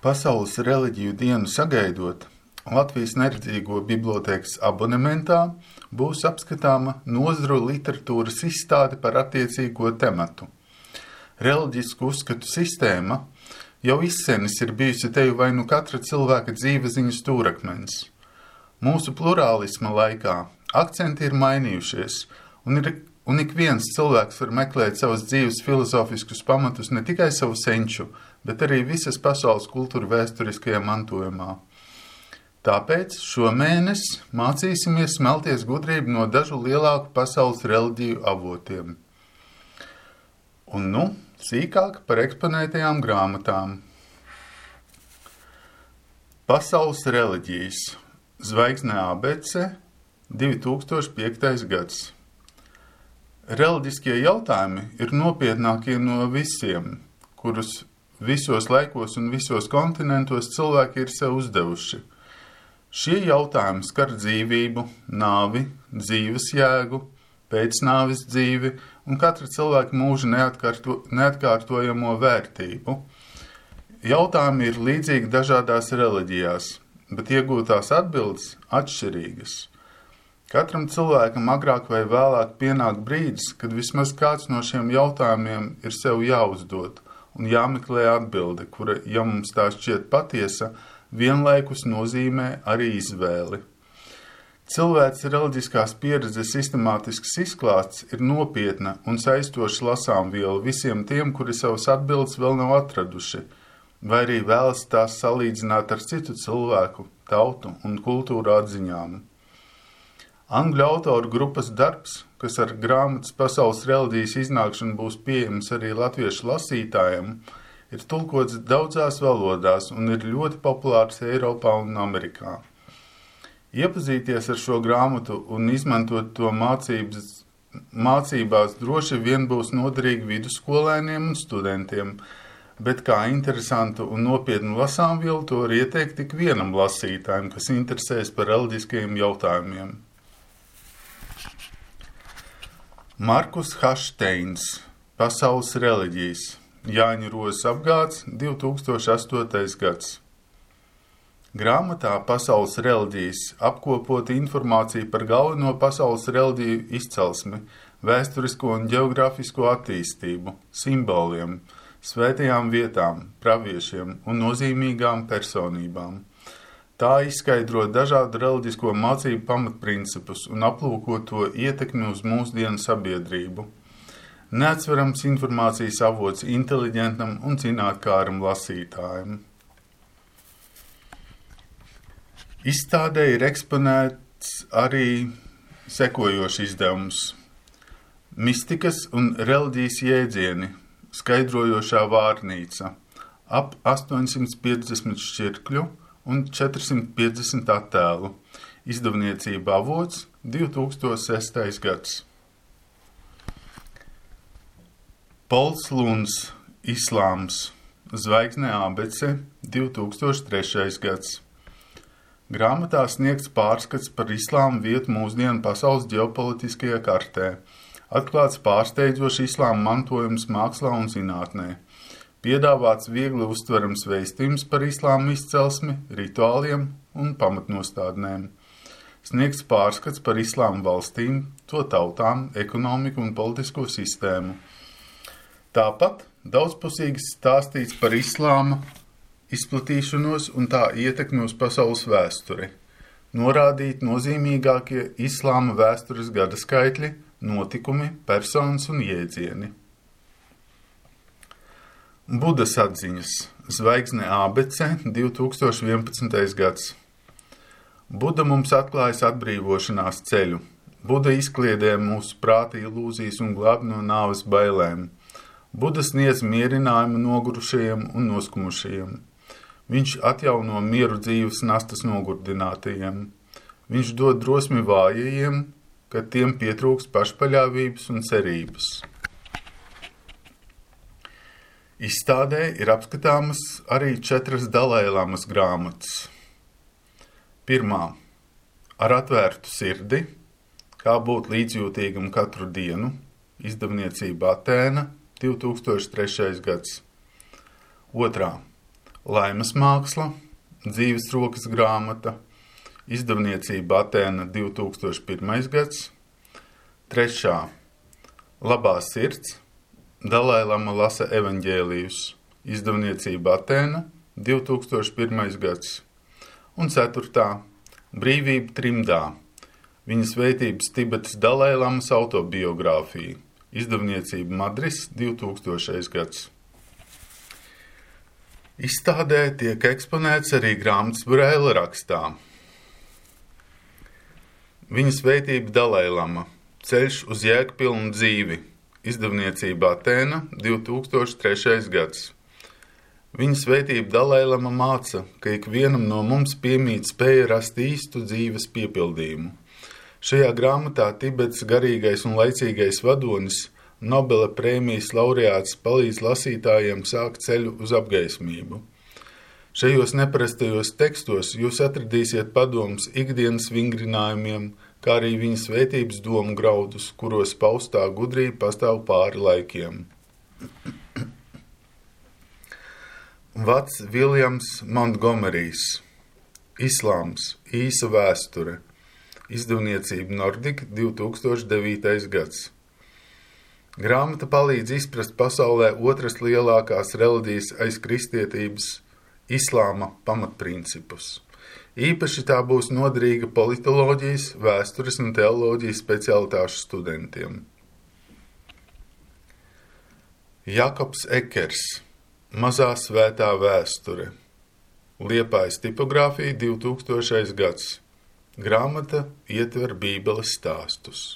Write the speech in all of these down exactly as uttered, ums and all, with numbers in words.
Pasaules reliģiju dienu sagaidot, Latvijas Neredzīgo bibliotēkas abonementā būs apskatāma nozaru literatūras izstāde par attiecīgo tematu. Reliģisku uzskatu sistēma jau izsenis ir bijusi teju vai nu katra cilvēka dzīveziņas stūrakmens. Mūsu plurālisma laikā akcenti ir mainījušies, un, ir, un ik viens cilvēks var meklēt savas dzīves filozofiskus pamatus ne tikai savu senču, bet arī visas pasaules kultūra vēsturiskajā mantojumā. Tāpēc šomēnes mācīsimies smelties gudrību no dažu lielāku pasaules reliģiju avotiem. Un nu, sīkāk par eksponētajām grāmatām. Pasaules reliģijas. Zvaigzne A B C, divi tūkstoši piektais gads. Reliģiskie jautājumi ir nopietnākie no visiem, kurus visos laikos un visos kontinentos cilvēki ir sev uzdevuši. Šie jautājumi skar dzīvību, nāvi, dzīves jēgu, pēcnāves dzīvi un katra cilvēka mūža neatkārto, neatkārtojamo vērtību. Jautājumi ir līdzīgi dažādās reliģijās, bet iegūtās atbildes atšķirīgas. Katram cilvēkam agrāk vai vēlāk pienāk brīdis, kad vismaz kāds no šiem jautājumiem ir sev jāuzdod un jāmeklē atbilde, kura, ja mums tā šķiet patiesa, vienlaikus nozīmē arī izvēli. Cilvēks reliģiskās pieredzes sistemātisks izklāsts ir nopietna un saistoša lasāmviela visiem tiem, kuri savas atbildes vēl nav atraduši, vai arī vēlas tās salīdzināt ar citu cilvēku, tautu un kultūru atziņām. Angļu autoru grupas darbs, kas ar grāmatas pasaules reliģijas iznākšanu būs pieejams arī latviešu lasītājiem, ir tulkots daudzās valodās un ir ļoti populārs Eiropā un Amerikā. Iepazīties ar šo grāmatu un izmantot to mācības, mācībās droši vien būs noderīgi vidusskolēniem un studentiem, bet kā interesantu un nopietnu lasāmvielu to var ieteikt tik vienam lasītājam, kas interesēs par reliģiskajiem jautājumiem. Markus Hašteins, Pasaules reliģijas, Jāņa Rozes apgāds, divi tūkstoši astotais gads. Grāmatā Pasaules reliģijas apkopota informācija par galveno pasaules reliģiju izcelsmi, vēsturisko un geogrāfisko attīstību, simboliem, svētajām vietām, praviešiem un nozīmīgām personībām. Tā izskaidro dažādu reliģisko mācību pamatprincipus un aplūko to ietekmi uz mūsdienu sabiedrību. Neatsverams informācijas avots inteliģentam un zinātkāram lasītājam. Izstādē ir eksponēts arī sekojošs izdevums. Mistikas un reliģijas jēdzieni, skaidrojošā vārnīca, ap astoņsimt piecdesmit šķirkļu un četri simti piecdesmit attēlu, izdevniecība avots, divi tūkstoši sestais gads. Pols Luns, Islāms, Zvaigzne A B C, divi tūkstoši trešais gads. Grāmatā sniegts pārskats par islāma vietu mūsdienu pasaules ģeopolitiskajā kartē, atklāts pārsteidzošs islāma mantojums mākslā un zinātnē, piedāvāts viegli uztverams vēstījums par islāma izcelsmi, rituāliem un pamatnostādnēm, sniegts pārskats par islāma valstīm, to tautām, ekonomiku un politisko sistēmu. Tāpat daudzpusīgi stāstīts par islāma izplatīšanos un tā ietekmi uz pasaules vēsturi, norādīt nozīmīgākie islāma vēstures gada skaitļi, notikumi, personas un jēdzieni. Budas atziņas, Zvaigzne A B C, divi tūkstoši vienpadsmitais gads. Buda mums atklājas atbrīvošanās ceļu. Buda izkliedē mūsu prāta ilūzijas un glāb no nāves bailēm. Buda sniedz mierinājumu nogurušajiem un noskumušajiem. Viņš atjauno mieru dzīves nastas nogurdinātajiem. Viņš dod drosmi vājajiem, kad tiem pietrūks pašpaļāvības un cerības. Izstādē ir apskatāmas arī četras Dalailamas grāmatas. Pirmā – Ar atvērtu sirdi, kā būt līdzjūtīgam katru dienu, izdevniecība Atēna, divi tūkstoši trešais gads. Otrā Laimas māksla, dzīves rokas grāmata, izdevniecība Atēna divi tūkstoši pirmais gads. Trešā. Labā sirds, Dalailama lasa evaņģēlijus, izdevniecība Atēna divi tūkstoši pirmais gads. Un ceturtā. Brīvība trimdā, viņa svētības Tibetas Dalailamas autobiogrāfija, izdevniecība Madris divi tūkstošais gads. Izstādē tiek eksponēts arī grāmatas Braila rakstā. Viņa svētība Dalailama, ceļš uz jēgpilnu dzīvi, izdevniecība Atēna divi tūkstoši trešais gads. Viņa svētība Dalailama māca, ka ikvienam no mums piemīt spēja rast īstu dzīves piepildījumu. Šajā grāmatā Tibetas garīgais un laicīgais vadonis, Nobela prēmijas laureāts palīdz lasītājiem sākt ceļu uz apgaismību. Šajos neparastajos tekstos jūs atradīsiet padomus ikdienas vingrinājumiem, kā arī viņa svētības domu graudus, kuros paustā gudrība pastāv pāri laikiem. Vats Viljams Montgomerijs, Islāms, īsa vēsture, izdevniecība Nordic divi tūkstoši devītais gads. Grāmata palīdz izprast pasaulē otras lielākās reliģijas aiz kristietības, islāma pamatprincipus. Īpaši tā būs noderīga politoloģijas, vēstures un teoloģijas specialitāšu studentiem. Jakobs Ekers, Mazā svētā vēsture, Liepājas tipogrāfija divi tūkstošais gads. Grāmata ietver Bībeles stāstus.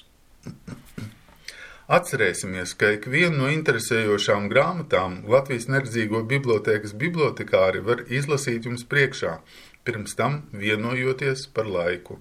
Atcerēsimies, ka ikvienu no interesējošām grāmatām Latvijas Neredzīgo bibliotēkas bibliotekāri var izlasīt jums priekšā, pirms tam vienojoties par laiku.